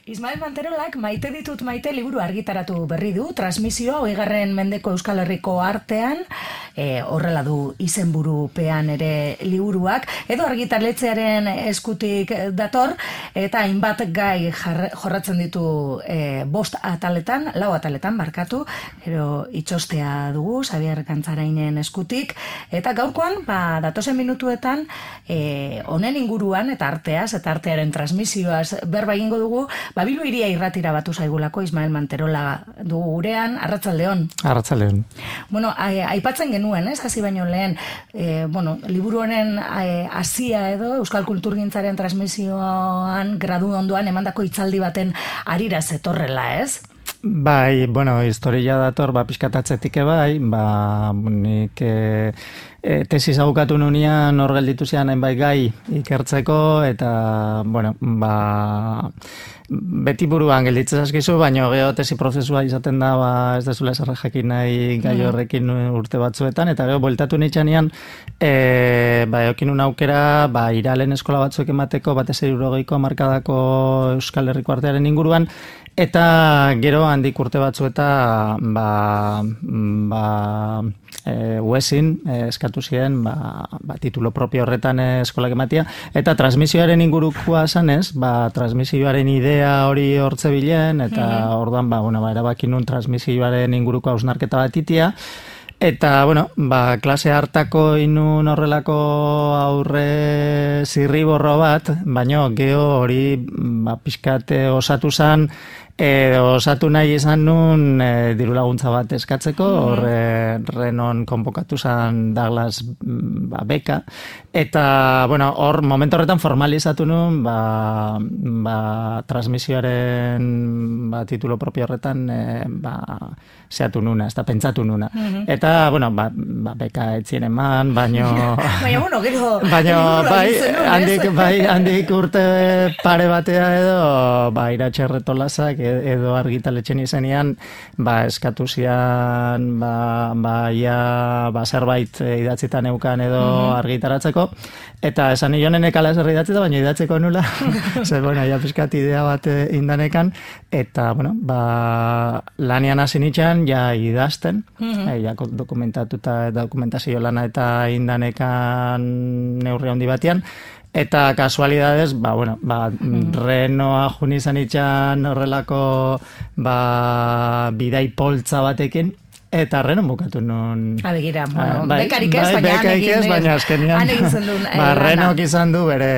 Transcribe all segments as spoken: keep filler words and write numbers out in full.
Ismael Manterolak Maite ditut maite liburu argitaratu berri du, transmisioa hogeigarren mendeko Euskal Herriko artean, e, horrela du izenburupean ere liburuak, edo argitaletxearen eskutik dator, eta hainbat gai jar, jorratzen ditu e, bost ataletan, lau ataletan barkatu, ero itxostea dugu, Xabier Gantzarainen eskutik, eta gaurkoan, ba, datozen minutuetan, e, honen inguruan, eta arteaz, eta artearen transmisioaz berba egingo dugu, ba, Bilbo Hiria irratira batu zaigulako Ismael Manterola dugu gurean, arratsaldeon. Arratsaldeon. Bueno, aipatzen genuen, ez, hasi baino lehen, e, bueno, liburu honen hasia edo Euskal Kulturgintzaren transmisioan gradu ondoan emandako hitzaldi baten harira zetorrela, ez? Bai, bueno, historia dator, ba, pixkatatzetik bai, ba, nik e, e, tesis abukatu nunean hor gelditu zian hainbait gai ikertzeko, eta, bueno, ba, beti buruan gelditzen zaskizu, baina geho tesi prozesua izaten da, ba, ez dezula esarra jakin nahi gai horrekin urte batzuetan, eta geho, bueltatu nitxanean, e, ba, eokin un aukera, ba, iralen eskola batzuek emateko, batez hirurogeiko hamarkadako Euskal Herriko artearen inguruan, eta gero handik urte batzu eta ba, ba, e, uesin e, eskatu ziren ba, ba, titulo propio horretan eskolak ematia, eta transmisioaren ingurukoa zanez, ba, transmisioaren idea hori hortze bilen, eta mm-hmm. orduan ba, bueno, ba, erabakin nun transmisioaren inguruko hausnarketa bat itia, eta, bueno, ba, klase hartako inun horrelako aurre zirriborro bat, baino geho hori ba, pixkate osatu zan, E, osatu nahi izan nun e, diru laguntza bat eskatzeko, horre mm-hmm. renon konbokatu zan Douglas ba, beka, eta, bueno, hor momentu horretan formalizatu nun, ba, ba, transmisioaren ba, titulo propio horretan e, ba, zeatu nuna, ez da pentsatu nuna. Mm-hmm. Eta, bueno, ba, ba, beka etzien eman, baino... baina, bueno, gero... baino, bai, handik, bai, handik urte pare batea edo, ba, iratxerretolazak, edo argitaletxen izenean, ba, eskatu zian, ba, ba, ia, ba, zerbait idatzitan eukan edo mm-hmm. argitaratzeko, eta esan nionen ekala zer idatzita, baina idatzeko nula, zer, bueno, ia pizkat idea bat indanekan, eta, bueno, ba, lanian hasi nitxan, ja idazten, mm-hmm. e, ja dokumentatuta, dokumentazio lana eta indanekan neurri handi batean, eta kasualidades, ba, bueno, ba, mm. renoa juni izan itxan horrelako ba, bidai poltza batekin, eta renon bukatu nun... Abegira, bueno, bai, bekarik ez, bai, baina bekarik ez, baina azkenian... Han egin zen duen... Ba, renok izan du bere,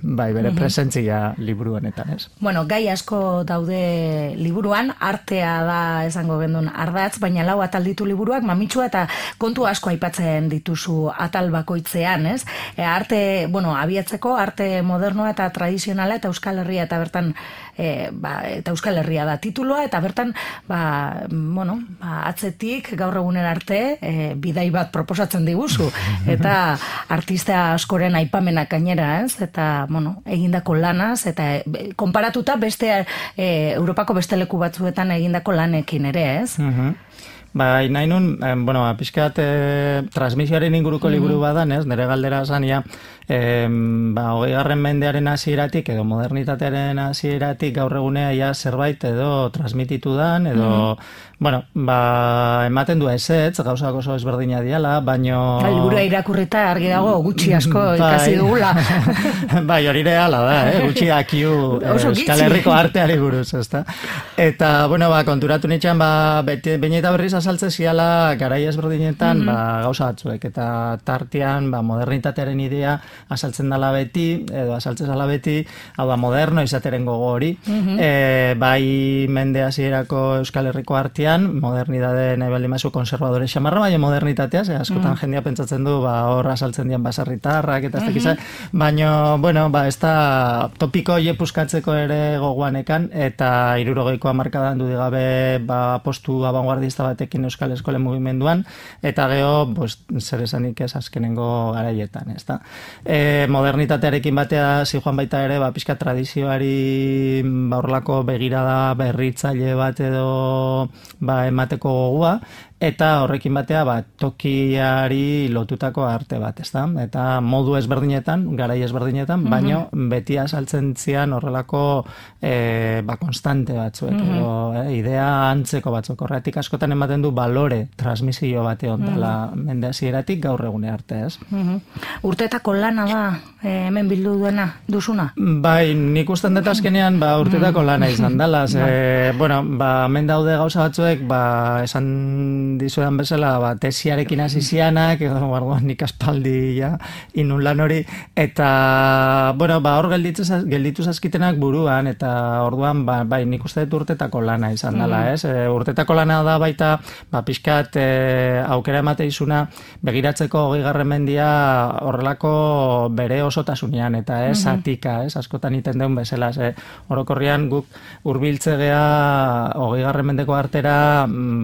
bai, bere uh-huh. presentzia liburu honetan, ez? Bueno, gai asko daude liburuan, artea da esango gendun ardatz, baina lau atal ditu liburuak, mamitsua eta kontu asko aipatzen dituzu atal bakoitzean, ez? E, arte, bueno, abiatzeko, arte modernoa eta tradizionala eta Euskal Herria eta bertan, e, ba, eta Euskal Herria da tituloa, eta bertan, ba, bueno, ba, atzetik gaur egunen arte e, bidai bat proposatzen diguzu eta artista askoren aipamenak gainera, ez? Eta, bueno, egindako lanaz eta e, konparatuta beste e, Europako beste leku batzuetan egindako lanekin ere, ez? Uh-huh. Ba, nahi nun, eh, bueno, pixkat eh, transmisioaren inguruko mm-hmm. liburu badan, ez? Nire galdera zania, eh, ba, hogeigarren mendearen hasieratik edo modernitatearen hasieratik gaur egunea ja zerbait edo transmititu dan, edo, mm-hmm. bueno, ba, ematen du ezetz, gauzak oso ezberdina diala, baino... Ba, liburua irakurrita argi dago gutxi asko ikasi dugula. Bai, hori reala da, eh? Gutxi dakiu Euskal Herriko arteari buruz, ezta? Eta, bueno, ba, konturatu nitxan, ba, beti, baina eta berriz azaltze ziala garai ezberdinetan mm-hmm. ba, gauza batzuek, eta tartean ba, modernitatearen idea azaltzen dala beti, edo azaltzen dala beti, hau da, moderno izateren gogo hori, mm-hmm. e, bai mende hasierako Euskal Herriko artean, modernidade nahi baldin mazu konservadore xamarra, baina modernitatea, ze askotan mm-hmm. jendia pentsatzen du, ba, hor azaltzen dian baserritarrak, eta ez mm-hmm. tekiza, baina, bueno, ba, ez da topiko jepuskatzeko ere goguanekan, eta hirurogeiko hamarkadan dudigabe ba, postu abanguardista batek Euskal Eskolen mugimenduan, eta geho, pues, zer esanik ez azkenengo garaietan, ez da. E, modernitatearekin batea zijoan baita ere, ba, pixka tradizioari ba, horlako begirada berritzaile bat edo ba, emateko gogoa, eta horrekin batea ba, tokiari lotutako arte bat, ezta? Eta modu ezberdinetan, garai ezberdinetan, baino beti azaltzen zian horrelako e, ba, konstante batzuek, mm-hmm. edo, e, idea antzeko batzuk. Horretik askotan ematen du balore transmisio bate ondala mm-hmm. mende hasieratik gaur egune arte, ez? Mm-hmm. Urteetako lana da, e, hemen bildu duena, duzuna? Bai, nik usten dut azkenean ba, urteetako lana izan dela. Ze, bueno, ba, hemen daude gauza batzuek, ba, esan dizuedan bezala, ba, tesiarekin hasi zianak, edo barduan nik aspaldi ja, inun lan hori, eta, bueno, ba, hor gelditu, gelditu zazkitenak buruan, eta orduan, ba, bai, nik uste dut urtetako lana izan dela, ez? E, urtetako lana da baita, ba, pixkat e, aukera emate izuna, begiratzeko hogeigarren mendia horrelako bere osotasunean, eta ez, zatika, ez? Askotan iten deun bezala, ze, orokorrian guk hurbiltze gea hogeigarren mendeko artera,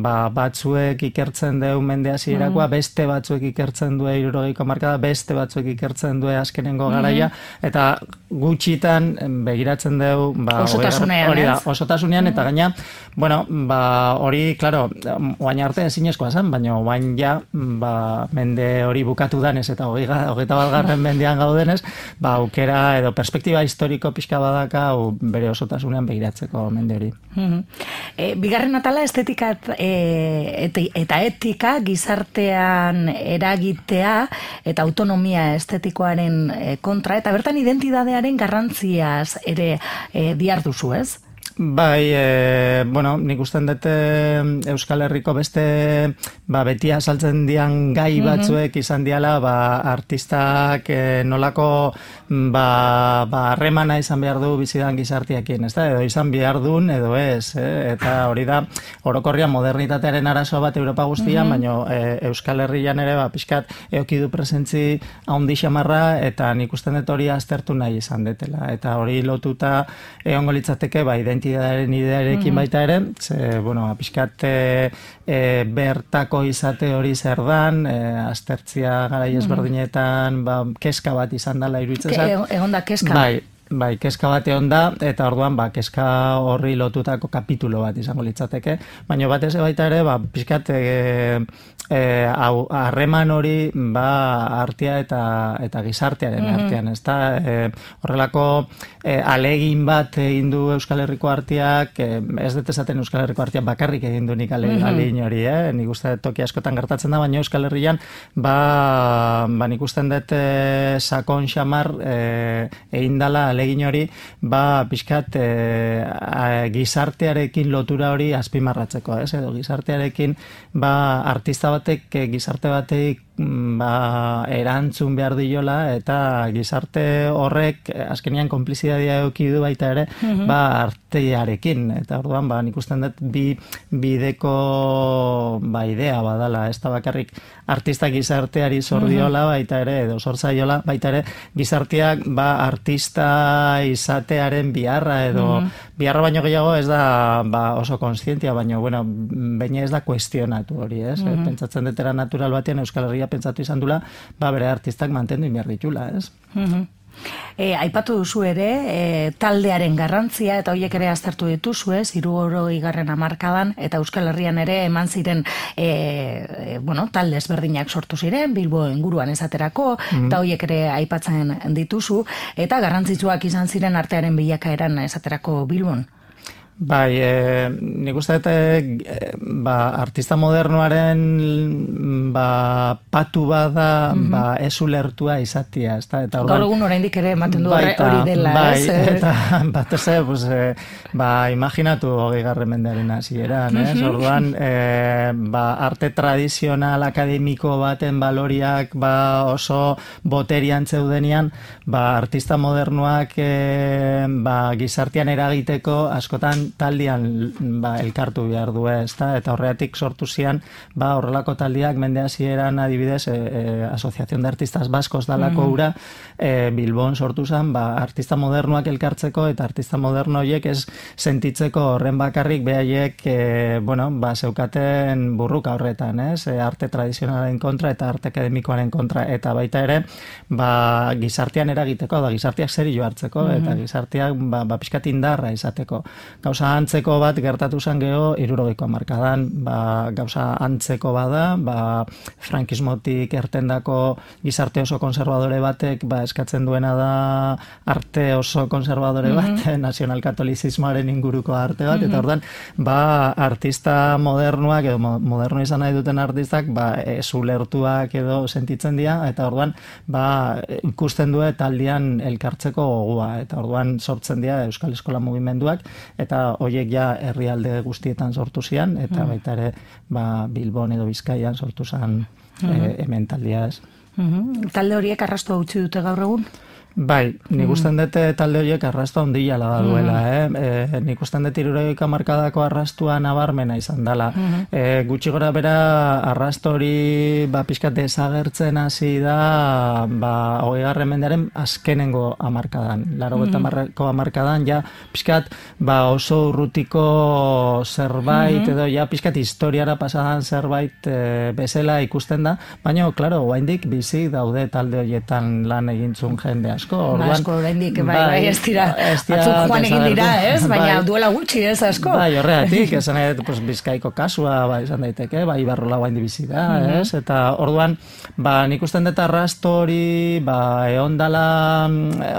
ba, batzuek ikertzen deun mende hasierakoa, beste batzuek ikertzen du hirurogeiko hamarkada, beste batzuek ikertzen du azkenengo garaia, eta gutxitan begiratzen deu ba, osotasunean, hori da, osotasunean, eta gaina, bueno, ba, hori, klaro, oain arte ezinezkoa zen, baina oain ja, ba, mende hori bukatu danez, eta hogeita balgarren mendean gaudenez, ba, aukera edo perspektiba historiko pixka badaka, u, bere osotasunean begiratzeko mende hori. Mm-hmm. E, bigarren atala estetika e, eta etika gizartean eragitea eta autonomia estetikoaren kontra, eta bertan identidadearen garrantziaz ere e, diarduzu, ez? Bai, e, bueno, nik usten dute Euskal Herriko beste ba, beti azaltzen dian gai batzuek izan diala ba, artistak e, nolako ba, ba, harremana izan behar du bizidan gizartiakin, ez da? Edo izan behar duen edo ez, eh? Eta hori da, orokorrian modernitatearen arazo bat Europa guztian, baina e, Euskal Herrian ere ba, pixkat eoki du presentzi haundi xamarra, eta nik usten dut hori aztertu nahi izan detela, eta hori lotuta egongo litzateke ba, identitatearen idearekin baita ere, ze, bueno, pixkat e, e, bertako izate hori zer dan, e, aztertzia garai ezberdinetan, ba, keska bat izan dela iruditzen zait. Egon da keska. Bai, bai, keska bate onda, eta orduan, ba, keska horri lotutako kapitulo bat izango litzateke, baina batez baita ere, ba, pixkat, e, e, hau, harreman hori, ba, artea eta, eta gizartearen mm-hmm. artean, ez da, e, horrelako e, alegin bat egin du Euskal Herriko arteak, e, ez dut esaten Euskal Herriko arteak bakarrik egin du nik ale, mm-hmm. alegin hori, eh? Nik uste toki askotan gertatzen da, baina Euskal Herrian, ba, ba nik usten dut e, sakon xamar e, egin dala alegin hori, ba, pixkat e, a, gizartearekin lotura hori azpimarratzeko, ez? Edo gizartearekin, ba, artista batek, gizarte batek ba, erantzun behar diola, eta gizarte horrek azkenean konplizidadia eduki du baita ere, mm-hmm. ba, artearekin, eta orduan, ba, nik usten dut bi bideko ba, idea badala, ez da bakarrik artista gizarteari zor diola baita ere, edo zor zaiola baita ere, gizarteak ba, artista izatearen biharra, edo mm-hmm. biharra baino gehiago ez da ba, oso konstientia, baino, bueno, baina ez da kuestionatu hori, ez? Mm-hmm. Pentsatzen detera natural batean Euskal Herria pentsatu izan dula, ba, bere artistak mantendu inbiar ditula, ez? Mm-hmm. E, aipatu duzu ere, e, taldearen garrantzia, eta horiek ere aztertu dituzu, ez, hirurogeigarren hamarkadan, eta Euskal Herrian ere eman ziren e, e, bueno, talde ezberdinak sortu ziren, Bilbo inguruan esaterako, mm-hmm. eta horiek ere aipatzen dituzu, eta garrantzitsuak izan ziren artearen bilakaeran esaterako Bilbon. Bai, e, nik uste dut e, ba, artista modernoaren ba, patu bada mm-hmm. ba, ez ulertua izatia. Ezta? Eta gaur egun oraindik ere ematen du hori dela. Bai, ez? Eta bat ez, pues, e, ba, imaginatu hogeigarren mendearen hasieran, ez? Mm-hmm. Orduan, e, ba, arte tradizional akademiko baten baloriak ba, oso boterian zeudenian, ba, artista modernoak e, ba, gizartean eragiteko askotan taldean ba, elkartu behar du, ezta? Eta horreatik sortu zian, ba, horrelako taldeak mende hasieran adibidez, e, e, Asociación de Artistas Baskos dalako mm-hmm. ura, e, Bilbon sortu zen, ba, artista modernoak elkartzeko, eta artista moderno horiek ez sentitzeko horren bakarrik behaiek, e, bueno, ba, zeukaten burruka horretan, ez? E, arte tradizionalen kontra eta arte akademikoaren kontra, eta baita ere, ba, gizartean eragiteko, da, gizarteak zeri jo hartzeko, mm-hmm. eta gizarteak, ba, ba, pixkat indarra izateko. Gauza gauza antzeko bat gertatu zen geho hirurogeiko hamarkadan, ba, gauza antzeko bada, ba, frankismotik ertendako gizarte oso konservadore batek ba, eskatzen duena da arte oso konservadore bat, mm-hmm. nazionalkatolizismoaren inguruko arte bat, mm-hmm. eta ordan ba, artista modernuak edo moderno izan nahi duten artistak ba, ez ulertuak edo sentitzen dira, eta orduan ba, ikusten du taldean elkartzeko gogoa, eta orduan sortzen dira Euskal Eskola mugimenduak, eta horiek ja herrialde guztietan sortu zian, eta mm. baita ere ba, Bilbon edo Bizkaian sortu zen mm. e, hemen taldea ez. Mm-hmm. Talde horiek arrastu utzi dute gaur egun? Bai, nik usten dute talde horiek arrastu handia la duela, mm-hmm. eh? E, nik usten dut hirurogeiko hamarkadako arrastua nabarmena izan dela. Mm-hmm. E, gutxi gora bera arrastu hori ba, pixkat desagertzen hasi da ba, hogeigarren mendearen azkenengo hamarkadan. Laurogeita hamarreko hamarkadan ja pixkat ba, oso urrutiko zerbait mm-hmm. edo ja pixkat historiara pasadan zerbait e, bezala ikusten da, baina, klaro, oraindik bizi daude talde horietan lan egintzun jende asko. Orduan, asko oraindik bai, bai, ez dira, atzuk joan egin dira, ez? Baina bai, duela gutxi, ez asko? Bai, horregatik, esan edo, pues, Bizkaiko kasua, bai, esan daiteke, bai, Ibarrola guain dibizi da, mm-hmm. ez? Eta orduan, ba, nik usten dut arrasto hori, ba, egon dala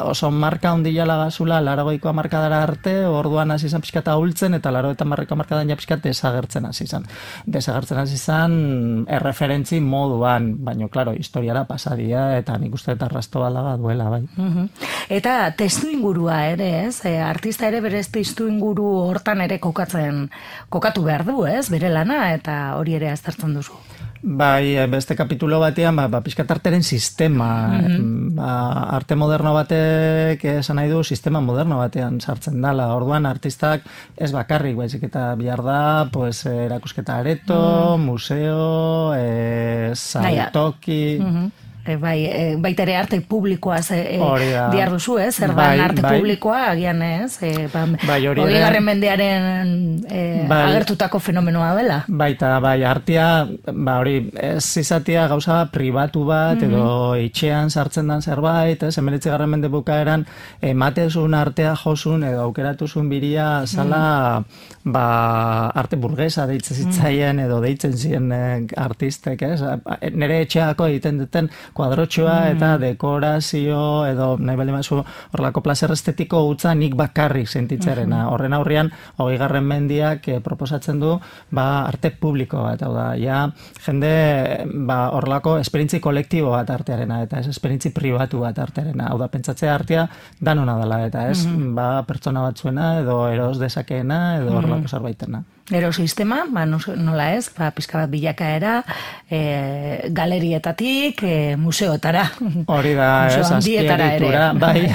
oso marka ondila lagazula, larogeiko hamarkadara arte, orduan hasi izan pixkata hultzen, eta larogeita hamarreko hamarkadan ja pixkat desagertzen hasi izan. Desagertzen hasi izan erreferentzi moduan, baina, klaro, historiara pasadia, eta nik uste dut arrasto balaga duela, bai. Uhum. Eta testu ingurua ere, ez? E, artista ere berez testu inguru hortan ere kokatzen, kokatu behar du, ez? Bere lana, eta hori ere aztertzen duzu. Bai, beste kapitulo batean, ba, ba pixkat arteren sistema, mm-hmm. ba, arte moderno batek esan nahi du sistema moderno batean sartzen dala. Orduan artistak ez bakarrik, baizik eta bihar da, pues, erakusketa areto, mm. museo, e, saltoki... Mm-hmm. E, bai, e, baita ere arte publikoa e, diar duzu, ez? Zer bai, arte bai. Publikoa, agian ez? E, ba, bai, hori garren mendearen e, bai, agertutako fenomenoa dela. Baita, bai, artea, ba, hori, ez izatea gauza pribatu bat, mm-hmm. edo itxean sartzen dan zerbait, ez? Hemeretzi garren mende bukaeran, ematezun artea josun, edo aukeratuzun biria, zala, mm-hmm. ba, arte burgesa deitzen zitzaien, mm-hmm. edo deitzen ziren eh, artistek, ez? Nere etxeako egiten duten kuadrotxoa mm. eta dekorazio edo nahi bali mazu horrelako plazer estetiko utza nik bakarrik sentitzarena. Mm-hmm. Horren aurrean, hogeigarren mendiak eh, proposatzen du ba, arte publiko bat, hau da, ja, jende ba, horrelako esperientzi kolektibo bat artearena, eta ez esperientzi pribatu bat artearena. Hau da, pentsatzea artea danona dela, eta ez mm-hmm. ba, pertsona batzuena edo eros dezakeena edo horrelako mm-hmm. zerbaitena. Gero sistema, ba, nola ez, ba, pizka bat bilakaera, e, galerietatik, e, museotara. Hori da, ez, azpiegitura. Bai,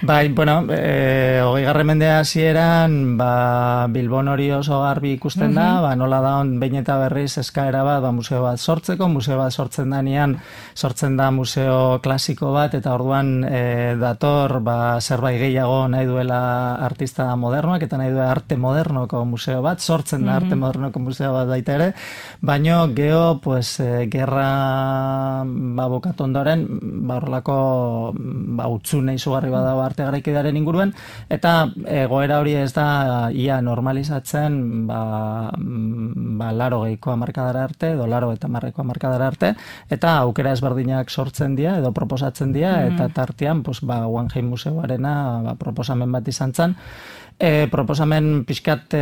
bai, bueno, e, hogeigarren mendea hasieran, ba, Bilbon hori oso garbi ikusten da, uh-huh. ba, nola da on, behin eta berriz eskaera bat, ba, museo bat sortzeko, museo bat sortzen danean, sortzen da museo klasiko bat, eta orduan e, dator, ba, zerbait gehiago nahi duela artista modernoak, eta nahi duela arte modernoko museo bat, sortzen sortzen da arte modernoko museo bat baita ere, baino geho, pues, e, gerra ba, bukatu ondoren, ba, horrelako ba, utzune izugarri badago arte garaikidearen inguruan, eta egoera hori ez da ia normalizatzen ba, ba, laro geiko hamarkadara arte, edo laro eta marreko hamarkadara arte, eta aukera ezberdinak sortzen dira, edo proposatzen dira, mm. eta tartean, pues, ba, Guggenheim museoarena ba, proposamen bat izan zen, E, proposamen pixkat e,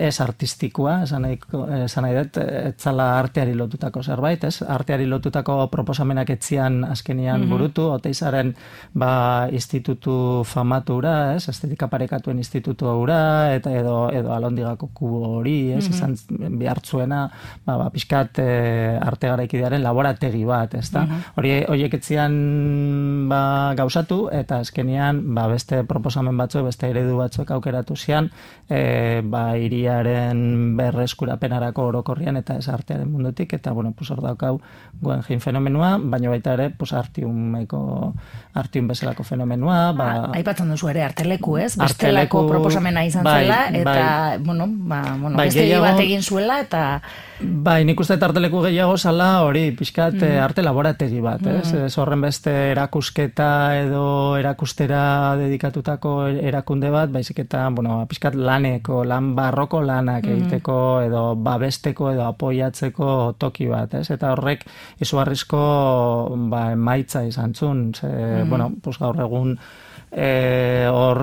ez artistikoa, esan nahi, esan nahi dut, etzala arteari lotutako zerbait, ez? Arteari lotutako proposamenak etzian azkenian mm-hmm. burutu, Oteizaren ba, institutu famatura, ez? Estetika parekatuen institutu hura, eta edo, edo alondigako kubo hori, ez? Mm-hmm. Izan behartzuena, ba, ba, pixkat e, arte garaikidearen laborategi bat, ez da? Mm-hmm. Hori, horiek etzian ba, gauzatu, eta azkenian ba, beste proposamen batzuk, beste eredu batzuk aukeratu zian, e, ba, iriaren berreskurapenarako orokorrian eta ez artearen mundutik, eta, bueno, pues hor daukau Guggenheim fenomenua, baina baita ere, pues artiumeko, artium bezalako fenomenua, ba... Aipatzen duzu ere, arteleku, ez? Bestelako proposamena izan bai, zela, eta, bai, bueno, ba, bueno, bai, beste gehiago, bat egin zuela, eta... Bai, nik uste arteleku gehiago zala hori, pixkat mm. arte laborategi bat, ez? Mm. Ez horren beste erakusketa edo erakustera dedikatutako erakunde bat, baizik eta, bueno, pixkat laneko, lan barroko lanak egiteko, edo babesteko, edo apoiatzeko toki bat, ez? Eta horrek izugarrizko ba, emaitza izan zuen, ze, mm-hmm. bueno, pues gaur egun E, hor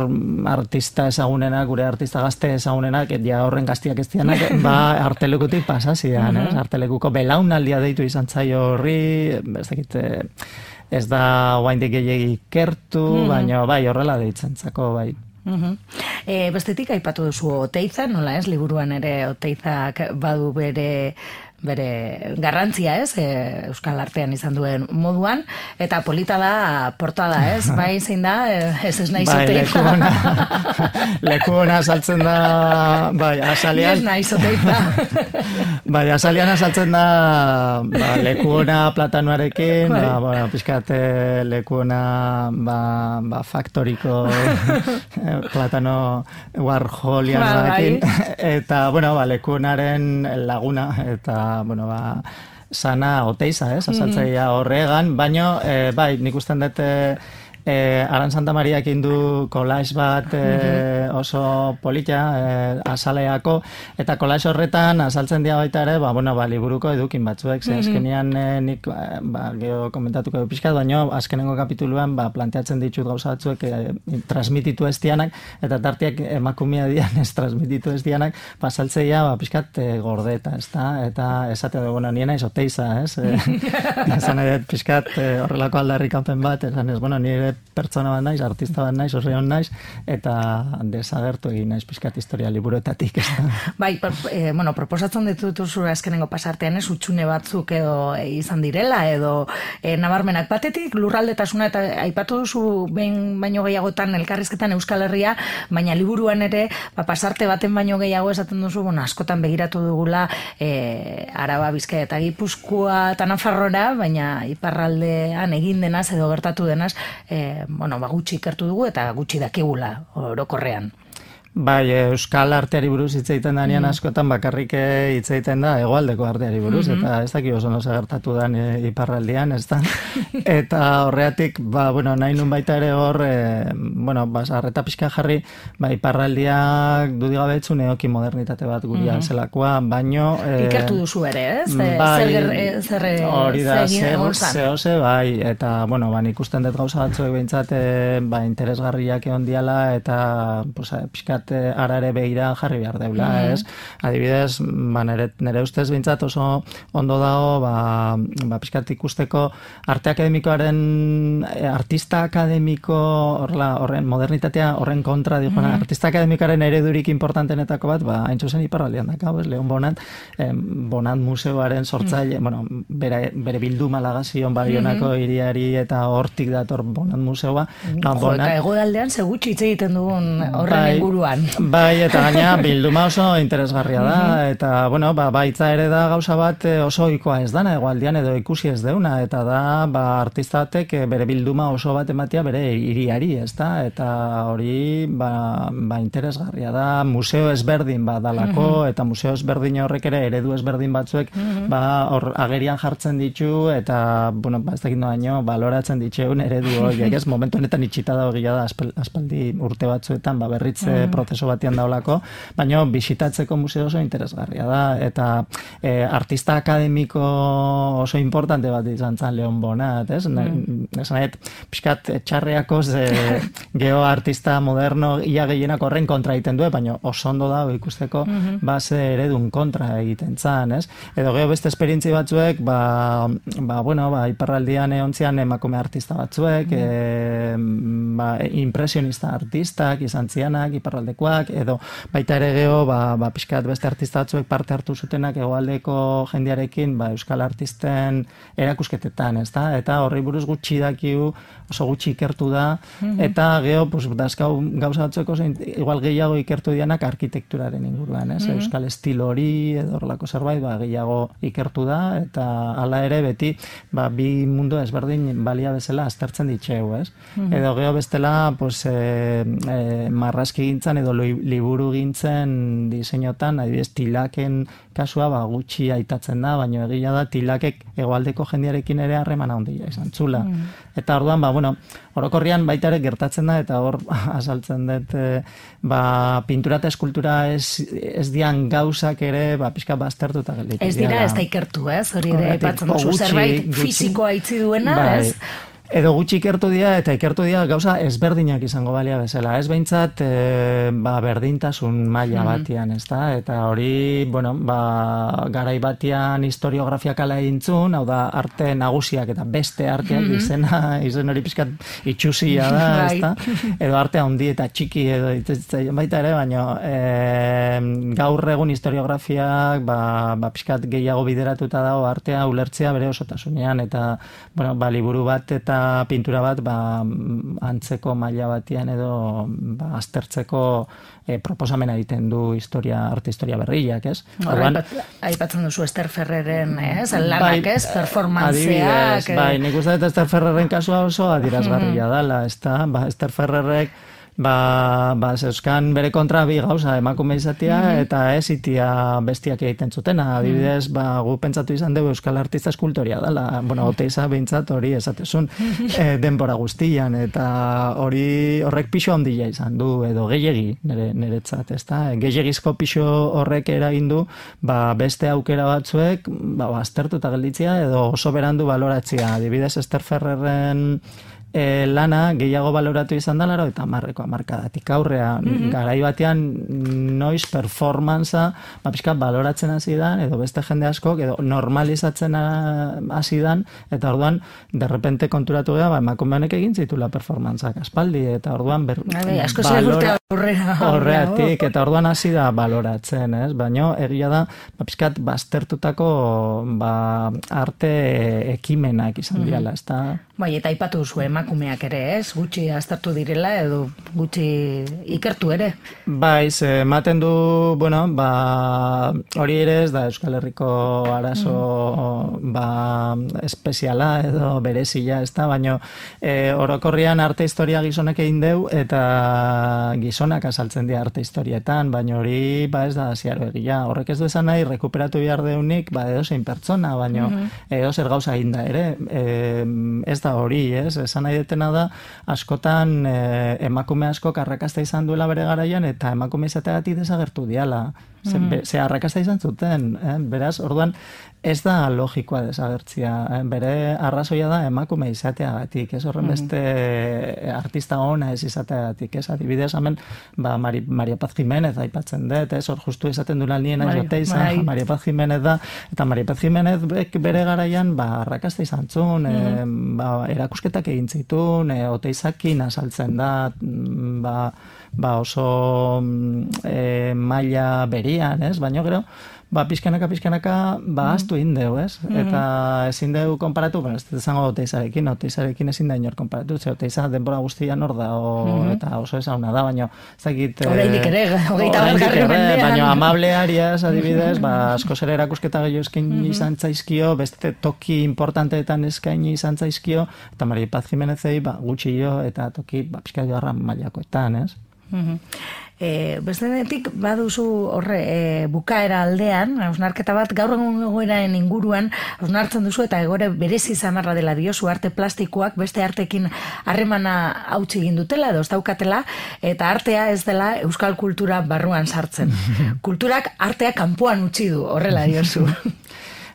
artista ezagunenak, gure artista gazte ezagunenak, ja horren gaztiak ez dianak, ba artelekutik pasazian, mm-hmm. ez? Artelekuko belaunaldia deitu izan zaio horri, ez dakit, ez da oaindik gehiegi ikertu, mm-hmm. baina bai horrela deitzen zako, bai. Uhum. E, bestetik aipatu duzu Oteiza, nola ez, liburuan ere Oteizak badu bere bere garrantzia, ez, e, Euskal Artean izan duen moduan, eta polita da portada, ez, bai zein da, ez ez nahi bai, Oteiza. Leku ona, leku ona saltzen da, bai, asalian. Ez nahi Oteiza. Bai, asalian asaltzen da, ba, leku ona platanuarekin, bai. ba, bueno, pixkate leku ona, ba, ba, faktoriko platano warholianoarekin, bai. Eta, bueno, ba, leku onaren laguna, eta bueno, ba, sana Oteiza, ez, asaltzaia horregan, baino, e, bai, nik usten dut e, Aran Santa Mariak indu kolaiz bat e, oso polita e, asaleako, eta kolaiz horretan asaltzen dira baita ere, ba, bueno, ba, liburuko edukin batzuek, ze azkenean e, nik ba, geho komentatuko edo pixkat, baino azkenengo kapituluan ba, planteatzen ditut gauza batzuek e, transmititu ez dianak, eta tartiak emakumea dian ez transmititu ez dianak, ba, asaltzeia ba, pixkat e, gordeta, ez da? Eta esate da, bueno, nien naiz Oteiza, ez? E, esan edo pixkat e, horrelako aldarrikapen bat, esan ez, bueno, nire pertsona bat naiz, artista bat naiz, osreon naiz, eta desagertu egin naiz pixkat historia liburuetatik. Bai, e, bueno, proposatzen dituzu azkenengo pasartean ez, utxune batzuk edo e, izan direla, edo e, nabarmenak batetik, lurraldetasuna eta aipatu duzu behin baino gehiagotan elkarrizketan Euskal Herria, baina liburuan ere, ba, pasarte baten baino gehiago esaten duzu, bueno, askotan begiratu dugula e, Araba, Bizkaia eta Gipuzkoa eta Nafarroa, baina iparraldean egin denaz edo gertatu denaz, e, bueno, ba, gutxi ikertu dugu eta gutxi dakigula orokorrean. Bai, Euskal arteari buruz hitz egiten danean mm. askotan bakarrik hitz egiten da hegoaldeko arteari buruz, mm-hmm. eta ez daki oso noza gertatu da e, iparraldian, ez da? Eta horreatik, ba, bueno, nahi nun baita ere hor, e, bueno, ba, arreta pixka jarri, ba, iparraldiak dudigabeetzu neoki modernitate bat guria mm-hmm. zelakoa, baino... E, ikertu duzu ere, ez? Bai, zer, zer, hori da, zehose, bai, eta, bueno, ba, ikusten dut gauza batzuek behintzat, e, ba, interesgarriak egon diala, eta, pues, pixka ara ere begira jarri behar deula, mm-hmm. ez? Adibidez, ba, nere, nere ustez bintzat oso ondo dago, ba, ba, pixkat ikusteko arte akademikoaren, artista akademiko, horrela, horren modernitatea, horren kontra, dijo, mm-hmm. artista akademikoaren eredurik importantenetako bat, ba, hain zuzen iparraldean dakau, ez? Leon Bonat, eh, Bonat museoaren sortzaile, mm-hmm. bueno, bere, bere bildu malagazion Baionako mm-hmm. iriari eta hortik dator Bonat museoa. Mm-hmm. Ba, Bonat... Jo, egoaldean segutxi hitz egiten dugun horren bai, inguruan. Bai, eta gaina bilduma oso interesgarria da, mm-hmm. eta, bueno, ba, baitza ere da gauza bat oso ohikoa ez dana, egoaldian edo ikusi ez deuna, eta da, ba, artista batek bere bilduma oso bat ematia bere hiriari, ez da, eta hori, ba, ba interesgarria da, museo ezberdin badalako, mm-hmm. eta museo ezberdin horrek ere eredu ezberdin batzuek, mm-hmm. ba, hor agerian jartzen ditu, eta, bueno, ba, ez dakit noaino, baloratzen ditzeun eredu horiek, ez, momentu honetan itxita da hogia da, aspaldi urte batzuetan, ba, berritze mm-hmm. prozeso batian daulako, baina bisitatzeko museo oso interesgarria da, eta e, artista akademiko oso importante bat izan zan Leon Bonat, ez? Mm. Esan nahet, pixkat txarreako ze, geho artista moderno ia gehienak horren kontra egiten du, baina oso ondo da ikusteko mm-hmm. base eredun kontra egiten zan, ez? Edo geho beste esperientzi batzuek, ba, ba bueno, ba, iparraldian eontzian emakume artista batzuek, mm-hmm. e, ba, impresionista artistak izan zianak, iparraldekoak, edo baita ere geho, ba, ba, pixkat beste artista batzuek parte hartu zutenak hegoaldeko jendearekin, ba, euskal artisten erakusketetan, ez da? Eta horri buruz gutxi dakiu, oso gutxi ikertu da, mm-hmm. eta geho, pues, dazkau gauza batzueko, igual gehiago ikertu dianak arkitekturaren inguruan, ez? Mm-hmm. Euskal estilo hori, edo horrelako zerbait, ba, gehiago ikertu da, eta hala ere beti, ba, bi mundu ezberdin balia bezala aztertzen ditxeu, ez? Mm-hmm. Edo geho bestela, pues, e, e, marrazki gintzan gintzan edo liburu gintzen diseinotan, adibidez tilaken kasua ba, gutxi aitatzen da, baina egia da tilakek hegoaldeko jendearekin ere harremana handia izan zula. Mm. Eta orduan, ba, bueno, orokorrian baita ere gertatzen da, eta hor azaltzen dut, e, ba, pintura eta eskultura ez, ez dian gauzak ere, ba, pixka baztertuta gelditu. Ez dira, ez da ikertu, ez? Hori ere, epatzen duzu zerbait fizikoa itzi duena, bai. Ez? Edo gutxi ikertu dira, eta ikertu dira gauza ezberdinak izango balia bezala. Ez behintzat, e, ba, berdintasun maila batian, ez da? Eta hori, bueno, ba, garai batian historiografiak ala egintzun, hau da, arte nagusiak eta beste arteak mm -hmm. izena, izen hori pixkat itxusia da, ez da? Edo arte handi eta txiki, edo itzatzen baita ere, baina e, gaur egun historiografiak, ba, ba, pixkat gehiago bideratuta dago artea ulertzea bere osotasunean, eta, bueno, ba, liburu bat eta pintura bat ba, antzeko maila batian edo ba, aztertzeko e, proposamena egiten du historia, arte historia berriak, ez? Orduan, aipatzen duzu Ester Ferreren, ez? Lanak, ez? Performantzeak. Bai, nik uste dut Ester Ferreren kasua oso adierazgarria dela, ez da? Ba, Ester Ferrerrek Ba, ba, zeuzkan bere kontra bi gauza emakume izatea mm-hmm. eta ez itia bestiak egiten zutena. Adibidez, ba, gu pentsatu izan dugu euskal artista eskultoria dela. Bueno, Oteiza behintzat hori esatezun e, denbora guztian, eta hori horrek pixo handia izan du, edo gehiegi nire, niretzat, ezta? Gehiegizko pixo horrek eragin du, ba, beste aukera batzuek, ba, baztertuta gelditzea, edo oso berandu baloratzea. Adibidez, Ester Ferreren E, lana gehiago baloratu izan da laro eta marreko amarkadatik aurrea. Mm-hmm. Garai batean noiz performantza ba, pixka baloratzen hasi dan, edo beste jende askok, edo normalizatzen hasi dan, eta orduan derrepente konturatu geha, ba, emakume honek egin zitula performantzak aspaldi, eta orduan ber, asko balora, horreatik, eta orduan hasi da baloratzen, ez? Baina egia da, ba, pixkat baztertutako ba, arte ekimenak izan mm-hmm. diala, ez da? Bai, eta aipatu zu emakumeak ere, ez? Gutxi aztertu direla edo gutxi ikertu ere. Bai, ze ematen du, bueno, ba, hori ere ez da Euskal Herriko arazo mm. ba, espeziala edo berezia, ez da, baina e, orokorrian arte historia gizonek egin deu eta gizonak azaltzen dira arte historietan, baina hori ba ez da ziaro egia. Horrek ez du esan nahi, rekuperatu behar deunik, ba edo zein pertsona, baina mm-hmm. edo zer gauza egin da ere, e, ez da hori, ez? Esan nahi detena da, askotan eh, emakume asko arrakasta izan duela bere garaian, eta emakume izateagatik desagertu diala. Ze, mm. ze arrakasta izan zuten, eh? Beraz, orduan, ez da logikoa desagertzia. Eh? Bere arrazoia da emakume izateagatik, ez horren beste mm. artista ona ez izateagatik, ez? Adibidez, hemen, ba, Mari, Maria Paz Jimenez aipatzen dut, ez? Hor justu esaten dula nien aizote izan, Maria Paz Jimenez da, eta Maria Paz Jimenez bere garaian, ba, arrakasta izan zuen, mm. eh, ba, erakusketak egin zituen, e, Oteizakin azaltzen da, ba, ba oso e, maila berian, ez? Baina gero, ba, pizkanaka, pizkanaka, ba, aztu mm. indeu, ez? Mm. Eta ezin deu konparatu, bueno, ez zango Oteizarekin, Oteizarekin ezin da inor konparatu, ze Oteiza denbora guztian hor da, o, mm-hmm. eta oso esauna da, baina, ez dakit... Horreinik ere, hogeita bargarren mendean. Baina amableariaz, adibidez, ba, asko zer erakusketa gehiago eskaini mm-hmm. izan zaizkio, beste toki importanteetan eskaini izan zaizkio, eta Maria Paz Jimenezei, ba, gutxi jo, eta toki, ba, pizka joarra mailakoetan, ez? Mm-hmm. E, bestenetik baduzu horre e, bukaera aldean, hausnarketa bat gaur egun egoeraren inguruan hausnartzen duzu eta egore berezi zamarra dela diozu arte plastikoak beste artekin harremana hautsi egin dutela edo ez daukatela, eta artea ez dela euskal kultura barruan sartzen. Kulturak artea kanpoan utzi du, horrela diozu.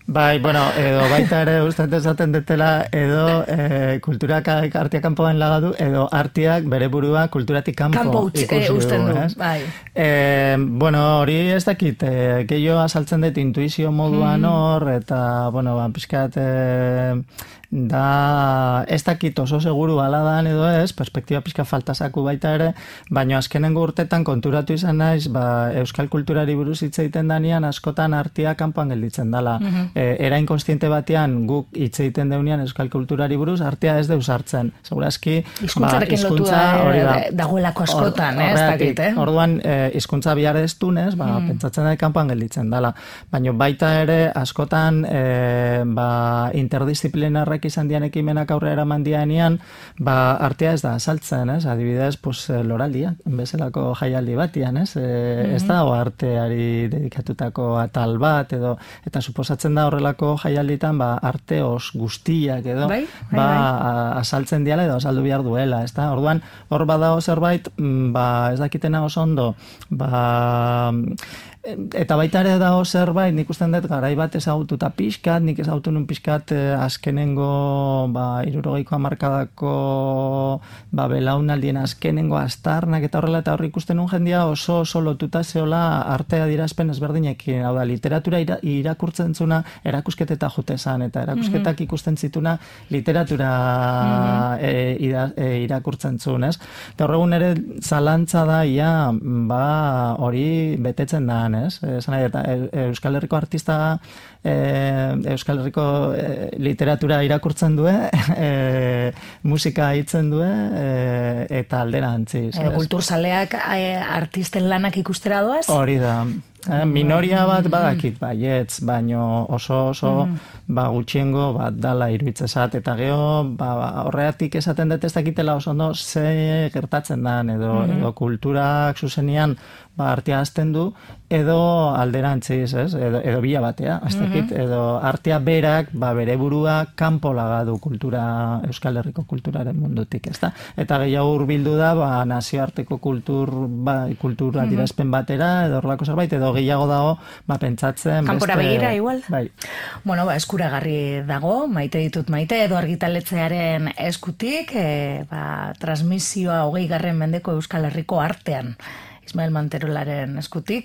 Bai, bueno, edo baita ere ustean esaten detela, edo e, kulturak artea kanpoan lagadu, edo arteak bere burua kulturatik kanpo Kampo ikusi du, du, bai. E, bueno, hori ez dakit, e, gehiago azaltzen dut intuizio moduan hor, mm. eta, bueno, ba, pixkat... E, da ez dakit oso seguru aladan edo ez, perspektiba pixka faltasaku baita ere, baina azkenengo urtetan konturatu izan naiz, ba, euskal kulturari buruz hitz egiten danean askotan artea kanpoan gelditzen dela. Mm-hmm. E, era inkonstiente batean guk hitz egiten deunean euskal kulturari buruz artea ez deus hartzen. Segurazki, hizkuntzarekin ba, lotua hori da, dagoelako askotan, or, eh, ez dakit, eh? Orduan, hizkuntza e, bihar ez dunez, ba, mm. pentsatzen da kanpoan gelditzen dela. Baina baita ere askotan e, ba, interdisciplinarrek berriak izan dian ekimenak aurrera eraman dianean, ba, artea ez da azaltzen, ez? Adibidez, pues, loraldia, bezalako jaialdi batian, ez? E, mm-hmm. Ez da, o arteari dedikatutako atal bat, edo, eta suposatzen da horrelako jaialditan, ba, arte os guztiak, edo, bai, bai, ba, bai. azaltzen diala, edo azaldu behar duela, ez da? Orduan, hor badao zerbait, ba, ez dakitena oso ondo, ba, eta baita ere dago zerbait, nik usten dut garai bat ezagututa pixkat, nik ezagutu nun pixkat eh, azkenengo, ba, irurogeiko hamarkadako, ba, belaunaldien azkenengo astarnak eta horrela, eta horri ikusten nun jendia oso oso lotuta zeola artea dirazpen ezberdinekin, hau da, literatura ira, irakurtzen zuna erakusketeta jute zan, eta erakusketak mm-hmm. ikusten zituna literatura mm-hmm. e, ira, e, irakurtzen zuen, ez? Eta horregun ere zalantza da, ia, ba, hori betetzen da, ez? Esan nahi, eta Euskal Herriko artista e, Euskal Herriko e, literatura irakurtzen du, e, musika hitzen du, e, eta alderantziz. E, kulturzaleak e, artisten lanak ikustera doaz? Hori da. Eh, minoria bat badakit baietz, baino oso oso ba, gutxiengo bat dala iruditzezat, eta geho ba, horreatik esaten dut ez dakitela oso ondo ze gertatzen dan, edo, mm-hmm. edo kulturak zuzenian ba, artea azten du, edo alderantziz, ez? Edo, edo bila batea, ez dakit, mm-hmm. edo artea berak, ba, bere burua kanpo lagadu kultura, Euskal Herriko kulturaren mundutik, ez da? Eta gehiago hurbildu da, ba, nazioarteko kultur, ba, kultura mm-hmm. dirazpen batera, edo horrelako zerbait, edo gehiago dago, ba, pentsatzen... Kanpora beste... begira, igual? Bai. Bueno, ba, eskuragarri dago, maite ditut maite, edo argitaletzearen eskutik, e, ba, transmisioa hogei garren mendeko Euskal Herriko artean, Ismael Manterolaren eskutik.